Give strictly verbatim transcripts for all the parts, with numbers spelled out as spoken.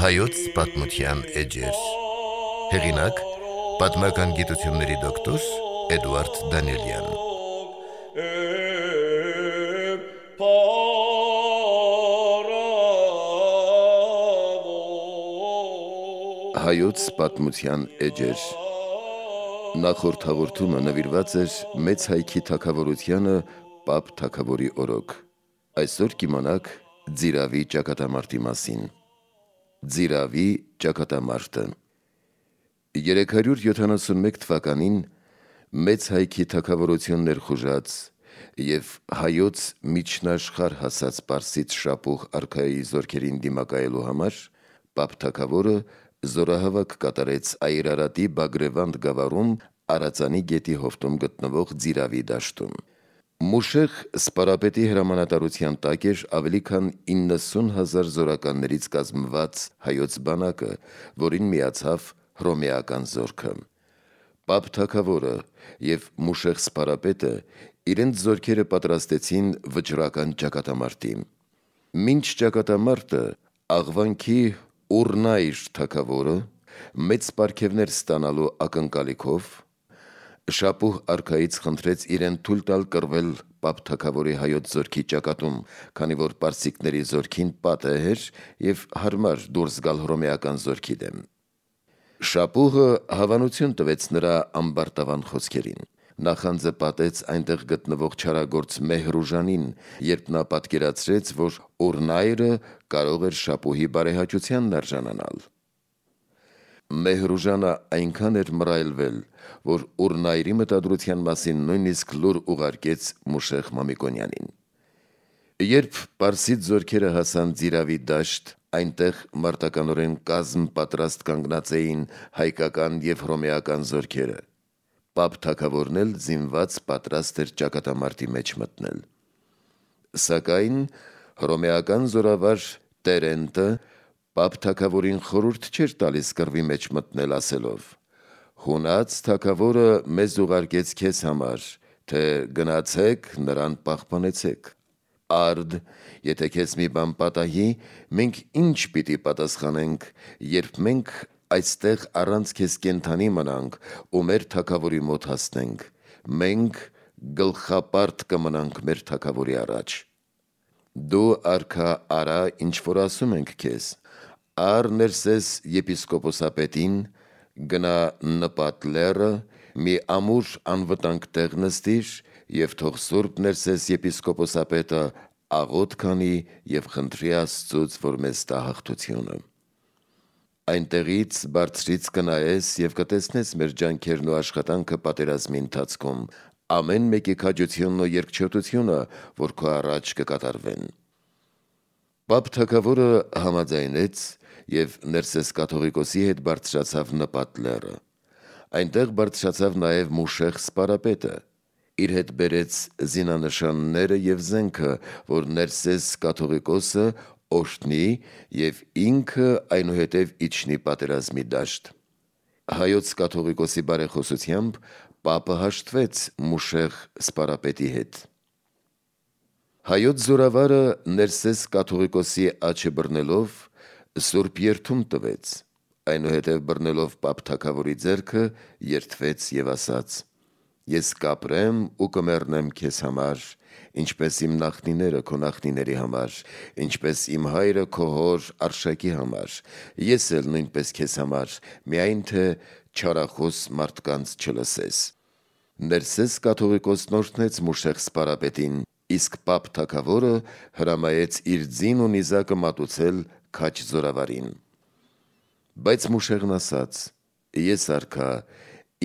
Հայոց պատմության էջեր։ Հեղինակ՝ պատմական գիտությունների դոկտոր Էդուարդ Դանիելյան։ Հայոց պատմության էջեր։ Նախորդ հաղորդումը նվիրված էր մեծ հայքի թագավորությանը Պապ թագավորի օրոք։ Այսօր կիմանաք Ձիրավի ճակատամարտի մասին։ Ձիրավի ճակատամարտը երեք հարյուր յոթանասունմեկ թվականին մեծ հայքի թագավորություն ներխուժած և հայոց միջնաշխարհ հասած պարսից շապուղ արքայի զորքերին դիմակայելու համար Պապ թագավորը զորահավաք կատարեց Այրարատի Բագրևանդ գավառում Արածանի գետի հովտում գտնվող Ձիրավի դաշտում։ Մուշեղ սպարապետի հրամանատարության տակ էր ավելի քան իննսուն հազար զորականներից կազմված հայոց բանակը, որին միացավ հռոմեական զորքը։ Պապ թագավորը և Մուշեղ սպարապետը իրենց զորքերը պատրաստեցին վճռական ճակատամարտի։ Մինչ ճակատամարտը Աղվանքի Ուռնայր թագավորը մեծ պարգևներ ստանալու ակնկալիքով շապուղ արքայից խնդրեց իրեն թույլ տալ կռվել Պապ թագավորի հայոց զորքի ճակատում, քանի որ պարսիկների զորքին պատեհ էր և հարմար դուրս գալ հռոմեական զորքի դեմ։ Շապուղը հավանություն տվեց նրա ամբարտավան խոսքերին։ Նախանձը պատեց այնտեղ գտնվող չարագործ Մեհրուժանին, երբ նա պատկերացրեց, որ Ուռնայրը կարող էր շապուհի բարեհաճությանն արժանանալ։ Մեհրուժանը այնքան էր մռայլվել, որ Ուռնայրի մտադրության մասին նույնիսկ լուր ուղարկեց Մուշեղ Մամիկոնյանին։ Երբ պարսից զորքերը հասան Ձիրավի դաշտ, այնտեղ մարտականորեն կազմ պատրաստ կանգնած էին հայկական և հռոմեական զորքերը։ Պապ թագավորն էլ զինված պատրաստ էր ճակատամարտի մեջ մտնել։ Սակայն հռոմեական զորավար Տերենտը Պապ թագավորին խորհուրդ չէր տալիս կռվի մեջ մտնել, ասելով. «Հունած թագավորը մեզ ուղարկեց քեզ համար, թե գնացեք նրան պահպանեցեք։ Արդ, եթե քեզ մի բան պատահի, մենք ինչ պիտի պատասխանենք, երբ մենք այստեղ առանց քեզ կենդանի մնանք ու մեր թագավորի մոտ հասնենք, մենք գլխապարտ կմնանք մեր թագավորի առաջ։ Դու արքա արա, ինչ որ ասում ենք քեզ, առ Ներսես եպիսկոպոսապետին, գնա Նպատ լեռը, մի ամուր անվտանգ տեղ նստիր և թող Սուրբ Ներսես եպիսկոպոսապետը աղոթ քանի և խնդրի Աստծուց, որ մեզ տա հաղթությունը։ Այնտեղից բարձրից կնայես և կտեսնես մեր ջանքերն ու աշխատանքը պատերազմի ընթացքում, ամեն մեկի քաջությունն ու երկչոտությունը, որ քո առաջ կկատարվեն»։ Պապ թագավորը համաձայնեց և Ներսես կաթողիկոսի հետ բարձրացավ Նպատ լեռը։ Այնտեղ բարձրացավ նաև Մուշեղ սպարապետը։ Իր հետ բերեց զինանշանները և զենքը, որ Ներսես կաթողիկոսը օրհնի և ինքը այնուհետև իջնի պատերազմի դաշտ։ Հայոց կաթողիկոսի բարեխոսությամբ Պապը հաշտվեց Մուշեղ սպարապետի հետ։ Հայոց զորավարը Ներսես կաթողիկոսի աջը բռնելով սուրբ երդում տվեց, այնուհետև բռնելով Պապ թագավորի ձեռքը երդվեց և ասաց. «Ես կապրեմ ու կմեռնեմ քեզ համար, ինչպես իմ նախնիները քո նախնիների համար, ինչպես իմ հայրը քո հոր Արշակի համար, ես էլ նույնպես քեզ համար, միայն թե չարախոս մարդկանց չլսես»։ Ներսես կաթողիկոսն օրհնեց Մուշեղ սպարապետին, իսկ Պապ թագավորը հրամայեց իր ձին ու նիզակը մատուցել քաջ զորավարին։ Բայց Մուշեղն ասաց. «Ես արքա,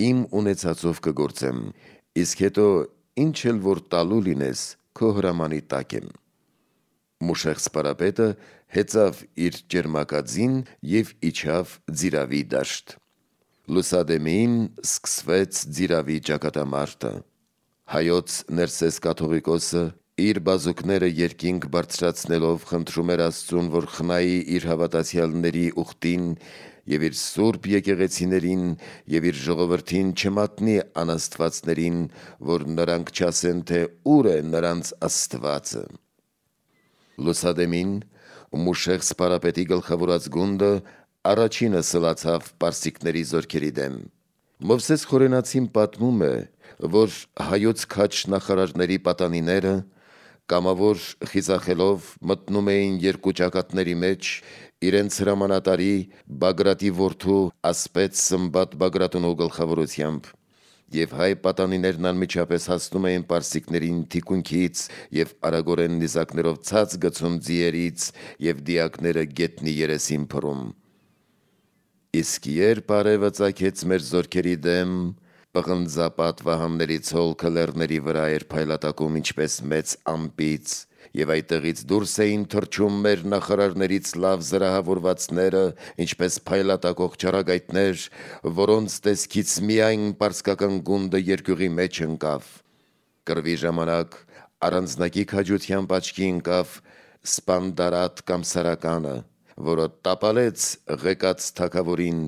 իմ ունեցածով կգործեմ, իսկ հետո ինչ էլ որ տալու լինես, քո հրամանի տակ եմ»։ Մուշեղ սպարապետը հեծավ իր ճերմակաձին և իջավ Ձիրավի դաշտ։ Լուսադեմին սկսվեց Ձիրավի ճակատամարտը։ Հայոց Ներսես կաթողիկոսը իր բազուկները երկինք բարձրացնելով խնդրում էր Աստծուն, որ խնայի իր հավատացյալների ուխտին և իր սուրբ եկեղեցիներին և իր ժողովրդին չմատնի անաստվածներին, որ նրանք չասեն, թե ուր է նրանց Աստվածը։ Լուսադեմին Մուշեղ սպարապետի գլխավորած գունդը առաջինը սլացավ պարսիկների զորքերի դեմ։ Մովսես Խորենացին պատմում է, որ հայոց քաչ նախարարների պատանիները կամավոր խիզախելով մտնում էին երկու ճակատների մեջ իրենց հրամանատարի Բագրատի որդու ասպետ Սմբատ Բագրատունու գլխավորությամբ, եւ հայ պատանիներն անմիջապես հասնում էին պարսիկներին թիկունքից եւ արագորեն նիզակներով ցած գցում ձիերից եւ դիակները գետնի երեսին փռում։ Իսկ երբ արևը ծագեց մեր զորքերի դեմ, պղնձապատ վահանների ցոլքը լեռների վրա էր փայլատակում ինչպես մեծ ամպից, եւ այդտեղից դուրս էին թռչում մեր նախարարներից լավ զրահավորվածները, ինչպես փայլատակող չարագայթներ, որոնց տեսքից միայն պարսկական գունդը երկյուղի մեջ ընկավ։ Կռվի ժամանակ առանձնակի քաջությամբ աչքի ընկավ Սպանդարատ կամ Սարականը, որը տապալեց ղեկած թագավորին,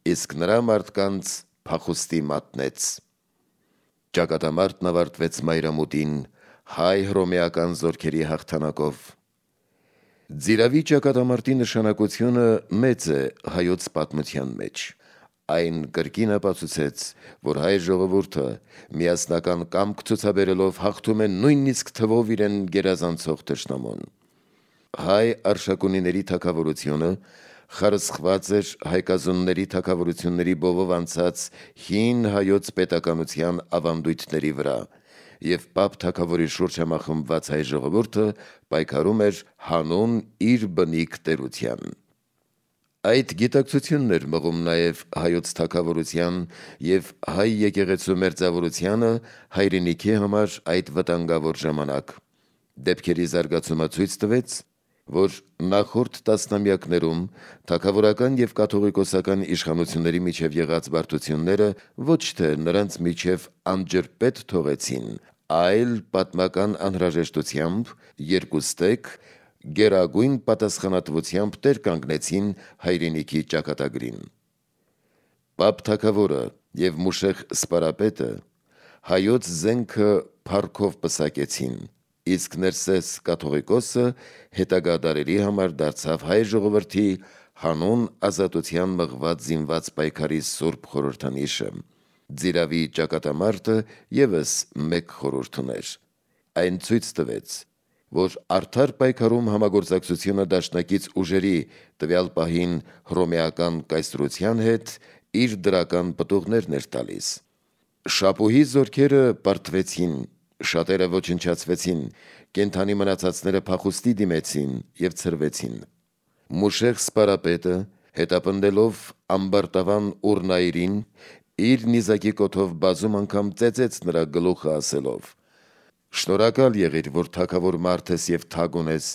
իսկ նրա մարդկանց փախուստի մատնեց։ Ճակատամարտն ավարտվեց մայրամուտին հայ հռոմեական զորքերի հաղթանակով։ Ձիրավի ճակատամարտի նշանակությունը մեծ է հայոց պատմության մեջ։ Այն կրկին ապացուցեց, որ հայ ժողովուրդը միասնական կամք ցուցաբերելով հաղթում է նույնիսկ թվով իրեն գերազանցող թշնամուն։ Հայ արշակունիների թագավորությունը խարսխված էր հայկազունների թագավորությունների բովով անցած հին հայոց պետականության ավանդույթների վրա, եւ Պապ թագավորի շուրջ համախմբված հայ ժողովուրդը պայքարում էր հանուն իր բնիկ տերության։ Այդ գիտակցությունն էր մղում նաև հայոց թագավորության եւ հայ եկեղեցու մերձավորությանը հայրենիքի համար այդ վտանգավոր ժամանակ։ Դեպքերի զարգացումը ցույց տվեց, որ նախորդ տասնամյակներում թագավորական եւ կաթողիկոսական իշխանությունների միջև եղած բարդությունները ոչ թե նրանց միջև անջրպետ թողեցին, այլ պատմական անհրաժեշտությամբ երկուստեք գերագույն պատասխանատվությամբ տեր կանգնեցին հայրենիքի ճակատագրին։ Պապ թագավորը եւ Մուշեղ սպարապետը հայոց զենքը փառքով պսակեցին, իսկ Ներսես կաթողիկոսը հետագա դարերի համար դարձավ հայ ժողովրդի հանուն ազատության մղված զինված պայքարի սուրբ խորհրդանիշը։ Ձիրավի ճակատամարտը եւս մեկ խորհուրդ ուներ։ Այն ցույց տվեց, որ արդար պայքարում համագործակցությունը դաշնակից ուժերի, տվյալ պահին հռոմեական կայսրության հետ, իր դրական պտուղներն էր տալիս։ Շապուհի զորքերը պարտվեցին, շատերը ոչնչացվեցին, կենդանի մնացածները փախուստի դիմեցին եւ ցրվեցին։ Մուշեղ սպարապետը, հետապնդելով ամբարտավան Ուրնայրին, իր նիզակի կոթով բազում անգամ ծեծեց նրա գլուխը ասելով. «Շնորհակալ եղիր, որ թագավոր մարդ ես եւ թագ ունես,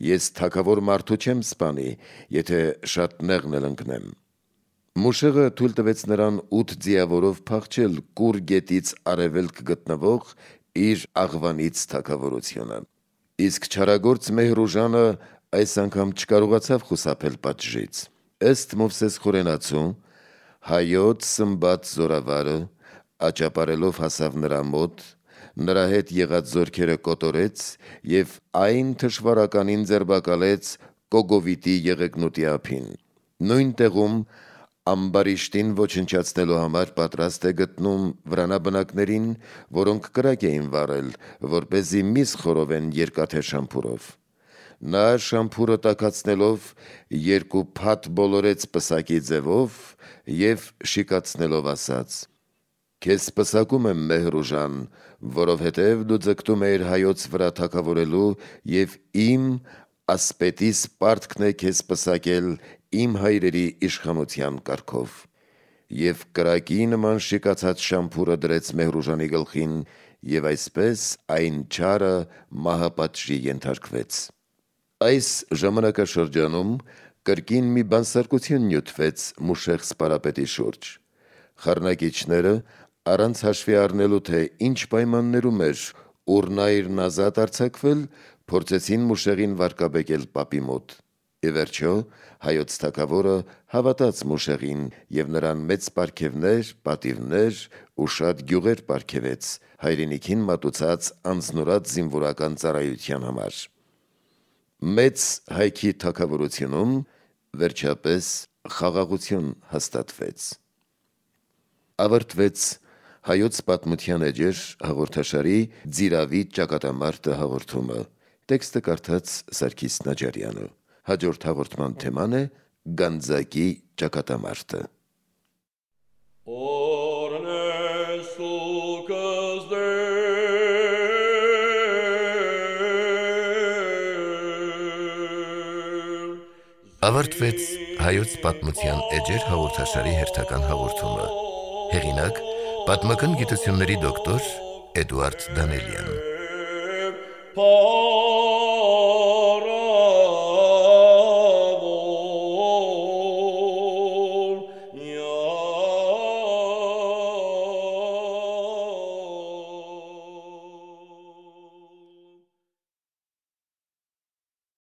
ես թագավոր մարդու չեմ սպանի, եթե շատ նեղն էլ ընկնեմ»։ Մուշեղը թույլ տվեց նրան ութ ձիավորով փախչել Կուր գետից արևելք գտնվող իր աղվանից թագավորությունը։ Իսկ չարագործ Մեհրուժանը այս անգամ չկարողացավ խուսափել պատժից։ Ըստ Մովսես Խորենացու, հայոց Սմբատ զորավարը աճապարելով հասավ նրա մոտ, նրա հետ եղած զորքերը կոտորեց եւ այն թշվարականին ձերբակալեց Կոգովիտի եղեգնուտի ափին։ Նույն տեղում ամբարիշտին ոչնչացնելու համար պատրաստ է գտնում վրանաբնակներին, որոնք կրակ էին վառել, որպեսզի միս խորովեն երկաթե շամփուրով։ Նա շամփուրը տաքացնելով երկու փաթ բոլորեց պսակի ձևով եւ շիկացնելով ասաց. «Քեզ պսակում եմ, Մեհրուժան, որովհետև դու ձգտում էիր հայոց վրա թագավորելու եւ իմ ասպետիս պարտքն է քեզ պսակել իմ հայրերի իշխանության կարգով»։ Եվ կրակի նման շիկացած շամփուրը դրեց Մեհրուժանի գլխին, եւ այսպես այն չարը մահապատժի ենթարկվեց։ Այս ժամանակաշրջանում կրկին մի բանսարկություն նյութվեց Մուշեղ սպարապետի շուրջ։ Խառնակիչները, առանց հաշվի առնելու, թե ինչ պայմաններում էր Ուրնայրն ազատ արձակվել, փորձեցին Մուշեղին վարկաբեկել պապի մոտ։ Ի վերջո հայոց թագավորը հավատաց Մուշեղին եւ նրան մեծ պարգևներ, պատիվներ ու շատ գյուղեր պարգևեց հայրենիքին մատուցած անձնուրաց զինվորական ծառայության համար։ Մեծ հայքի թագավորությունում վերջապես խաղաղություն հաստատվեց։ Ավարտվեց Հայոց պատմության էջեր հաղորդաշարի Ձիրավի ճակատամարտը հաղորդումը։ Տեքստը կարդաց Սարգիս Նաջարյանը։ Հաջորդ հաղորդման թեման է Գանձակի ճակատամարտը։ Ավարտվեց Հայոց պատմության էջեր հաղորդաշարի հերթական հաղորդումը։ Հեղինակ՝ պատմական գիտությունների դոկտոր Էդուարդ Դանելյան։